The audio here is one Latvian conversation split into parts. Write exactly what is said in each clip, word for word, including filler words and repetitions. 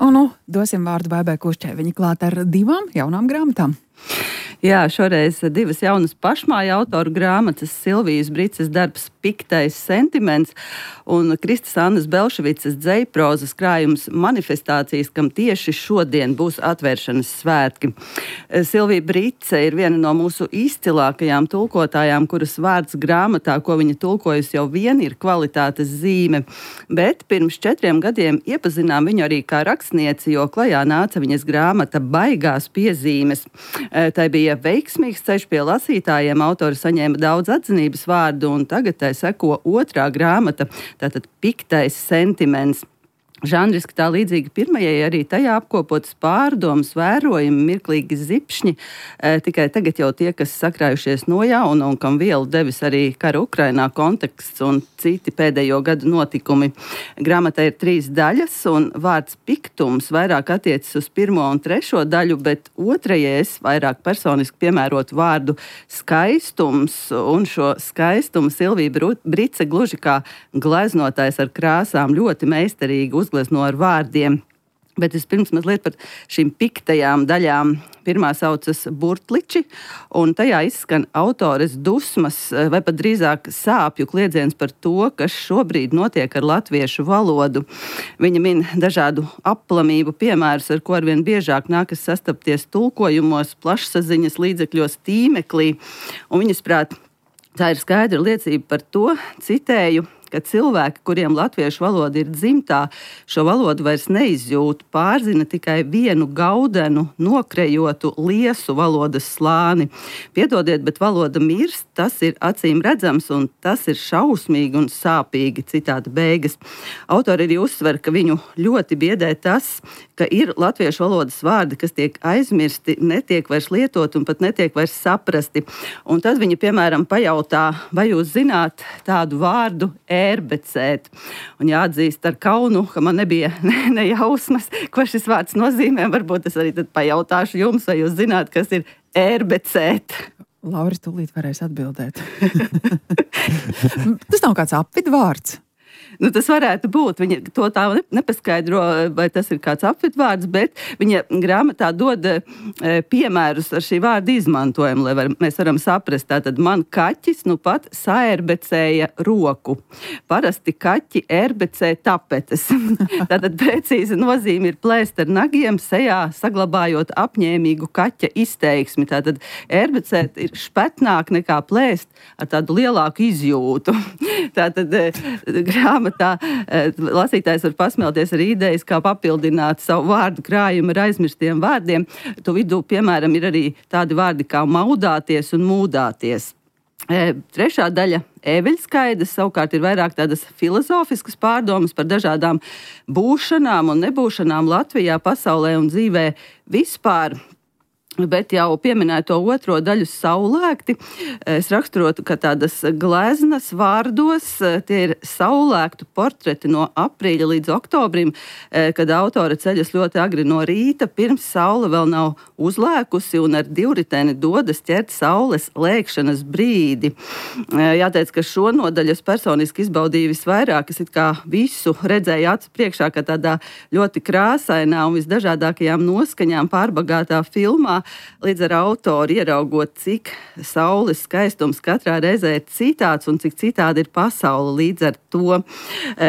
Un nu, dosim vārdu Baibai Kušķai. Viņa klāt ar divām jaunām grāmatām. Jā, šoreiz divas jaunas pašmāju autoru grāmatas, Silvijas Brices darbs Piktais sentiments un Kristas Annas Belševicas dzejprozas krājums Manifestācijas, kam tieši šodien būs atvēršanas svētki. Silvija Brice ir viena no mūsu izcilākajām tulkotājām, kuras vārds grāmatā, ko viņa tulkojusi, jau vien ir kvalitātes zīme. Bet pirms četriem gadiem iepazinām viņu arī kā rakstnieci, jo klajā nāca viņas grāmata Baigās piezīmes. Tai bija veiksmīgs ceļš pie lasītājiem, autori saņēma daudz atzinības vārdu, un tagad tai seko otrā grāmata, tātad Piktais sentiments. Žanriski tā līdzīgi pirmajai, arī tajā apkopotas pārdomas, vērojumi, mirklīgi zipšņi, e, tikai tagad jau tie, kas sakrājušies no jauna un kam vielu devis arī kara Ukrainā konteksts un citi pēdējo gadu notikumi. Grāmatā ir trīs daļas, un vārds piktums vairāk attiecas uz pirmo un trešo daļu, bet otrajai es vairāk personiski piemērotu vārdu skaistums, un šo skaistumu Silvija Brice gluži kā gleznotājs ar krāsām ļoti meistarīgi uzglezno ar vārdiem. Bet vispirms mazliet par šīm piktajām daļām. Pirmā saucas Burtliči, un tajā izskan autores dusmas, vai pat drīzāk sāpju kliedziens par to, kas šobrīd notiek ar latviešu valodu. Viņa min dažādu aplamību piemērus, ar ko arvien biežāk nākas sastapties tulkojumos, plašsaziņas līdzekļos, tīmeklī, un viņas prāt, tā ir skaidra liecība par to, citēju, ka cilvēki, kuriem latviešu valoda ir dzimtā, šo valodu vairs neizjūt, pārzina tikai vienu gaudenu, nokrejotu, liesu valodas slāni. Piedodiet, bet valoda mirst, tas ir acīm redzams, un tas ir šausmīgi un sāpīgi, citāta beigas. Autori arī uzsver, ka viņu ļoti biedē tas, ka ir latviešu valodas vārdi, kas tiek aizmirsti, netiek vairs lietot un pat netiek vairs saprasti. Un tad viņa, piemēram, pajautā, vai jūs zināt tādu vārdu ērbecēt. Un jāatzīst ar kaunu, ka man nebija ne, ne jausmas, ko šis vārds nozīmē. Varbūt es arī tad pajautāšu jums, vai jūs zināt, kas ir ērbecēt. Laura, tūlīt varēs atbildēt. Tas nav kāds apvidvārds. Nu, tas varētu būt. Viņa to tā nepaskaidro, vai tas ir kāds apvidvārds, bet viņa grāmatā dod e, piemērus ar šī vārda izmantojumu, lai var, mēs varam saprast. Tātad man kaķis nu pat saerbecēja roku. Parasti kaķi erbecē tapetes. Tātad precīzi nozīme ir plēst ar nagiem sejā, saglabājot apņēmīgu kaķa izteiksmi. Tātad erbecēt ir špetnāk nekā plēst ar tādu lielāku izjūtu. Tātad e, grāmatā Tā, lasītājs var pasmelties ar idejas, kā papildināt savu vārdu krājumu ar aizmirstiem vārdiem. Tu vidū, piemēram, ir arī tādi vārdi kā maudāties un mūdāties. Trešā daļa Ēveļskaidas savukārt ir vairāk tādas filozofiskas pārdomas par dažādām būšanām un nebūšanām Latvijā, pasaulē un dzīvē vispār. Bet jau pieminēto otro daļu saulēkti, es raksturotu, ka tādas gleznas vārdos tie ir saulēktu portreti no aprīļa līdz oktobrim, kad autore ceļas ļoti agri no rīta, pirms saule vēl nav uzlēkusi un ar divriteni dodas ķert saules lēkšanas brīdi. Jāteic, ka šo nodaļu es personiski izbaudīju visvairāk, es it kā visu redzēju acu priekšā, ka tādā ļoti krāsainā un visdažādākajām noskaņām pārbagātā filmā, līdz ar autoru ieraugot, cik saules skaistums katrā reizē ir citāds un cik citādi ir pasaule. Līdz ar to,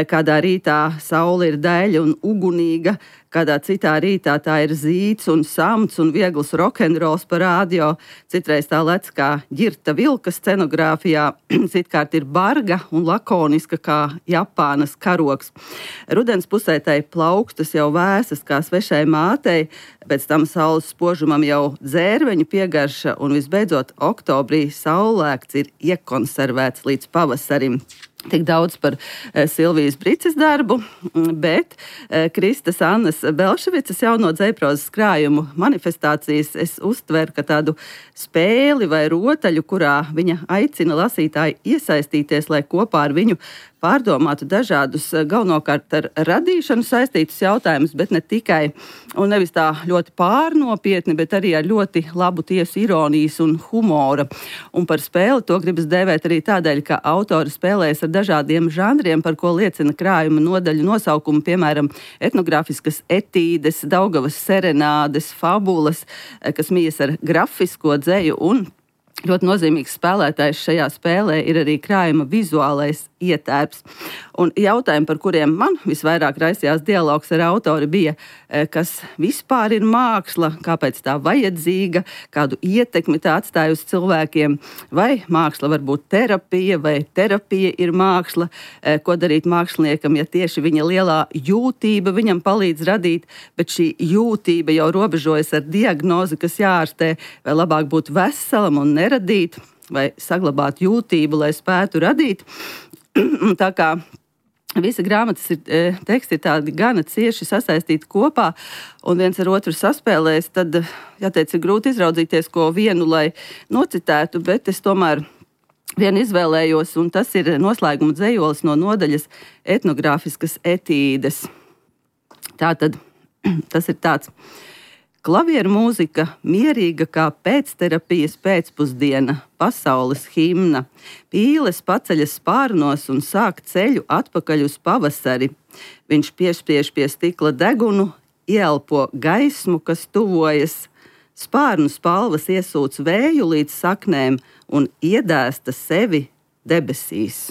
kādā rītā saule ir daļa un ugunīga, kādā citā rītā tā ir zīts un samts un viegls rokenrols par rādio, citreiz tā lec kā ģirta vilka scenogrāfijā, citkārt ir barga un lakoniska kā Japānas karoks. Rudens pusē tai plaukstas jau vēsas kā svešai mātei, pēc tam saules spožumam jau dzērveņu piegarša un visbeidzot oktobrī saulēkts ir iekonservēts līdz pavasarim. Tik daudz par e, Silvijas Brices darbu, bet e, Kristas Annas Belševicas jauno dzejprozas krājumu Manifestācijas es uztveru kā tādu spēli vai rotaļu, kurā viņa aicina lasītāju iesaistīties, lai kopā ar viņu pārdomātu dažādus galvenokārt ar radīšanu saistītus jautājumus, bet ne tikai, un nevis tā ļoti pārnopietni, bet arī ar ļoti labu tiesu ironijas un humora. Un par spēli to gribas dēvēt arī tādēļ, ka autori spēlējas ar dažādiem žanriem, par ko liecina krājuma nodaļu nosaukumi, piemēram, etnogrāfiskas etīdes, Daugavas serenādes, fabulas, kas mijas ar grafisko dzeju, un ļoti nozīmīgs spēlētājs šajā spēlē ir arī krājuma vizuālais ietērps. Un jautājumi, par kuriem man visvairāk raisījās dialogs ar autori, bija, kas vispār ir māksla, kāpēc tā vajadzīga, kādu ietekmi tā atstāja uz cilvēkiem, vai māksla var būt terapija, vai terapija ir māksla, ko darīt māksliniekam, ja tieši viņa lielā jūtība viņam palīdz radīt, bet šī jūtība jau robežojas ar diagnozi, kas jāārstē, vai labāk būt veselam un neradīt, vai saglabāt jūtību, lai spētu radīt. Tā kā visa grāmatas ir, teksti ir tādi gana cieši sasaistīti kopā un viens ar otru saspēlēs, tad, jāteic, ir grūti izraudzīties ko vienu, lai nocitētu, bet es tomēr vienu izvēlējos, un tas ir noslēguma dzejolis no nodaļas etnogrāfiskas etīdes. Tātad tas ir tāds. Klavieru mūzika mierīga kā pēcterapijas pēcpusdiena, pasaules himna. Pīles paceļas spārnos un sāk ceļu atpakaļ uz pavasari. Viņš piespiež pie stikla degunu, ieelpo gaismu, kas tuvojas. Spārnu spalvas iesūc vēju līdz saknēm un iedēsta sevi debesīs.